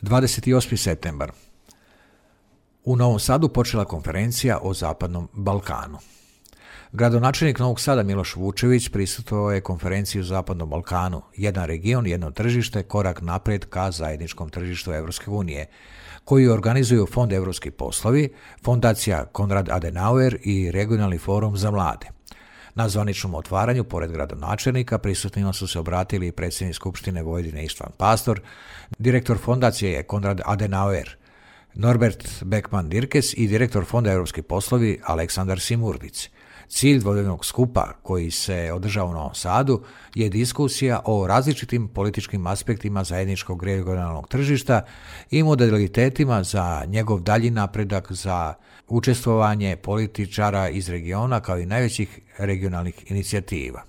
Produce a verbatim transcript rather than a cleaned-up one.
dvadeset osmi septembar. U Novom Sadu počela konferencija o Zapadnom Balkanu. Gradonačelnik Novog Sada Miloš Vučević prisustvovao je konferenciji o Zapadnom Balkanu, jedan region, jedno tržište, korak naprijed ka zajedničkom tržištu Evropske unije, koju organizuju Fond Evropski poslovi, Fondacija Konrad Adenauer i Regionalni forum za mlade. Na zvaničnom otvaranju, pored gradonačelnika, prisutnima su se obratili predsjednik Skupštine Vojvodine Ištvan Pastor, direktor fondacije je Konrad Adenauer, Norbert Beckman-Dirkes i direktor Fonda Evropski poslovi Aleksandar Simurdic. Cilj dvodnevnog skupa koji se održava u Novom Sadu je diskusija o različitim političkim aspektima zajedničkog regionalnog tržišta i modalitetima za njegov dalji napredak, za učestvovanje političara iz regiona kao i najvećih regionalnih inicijativa.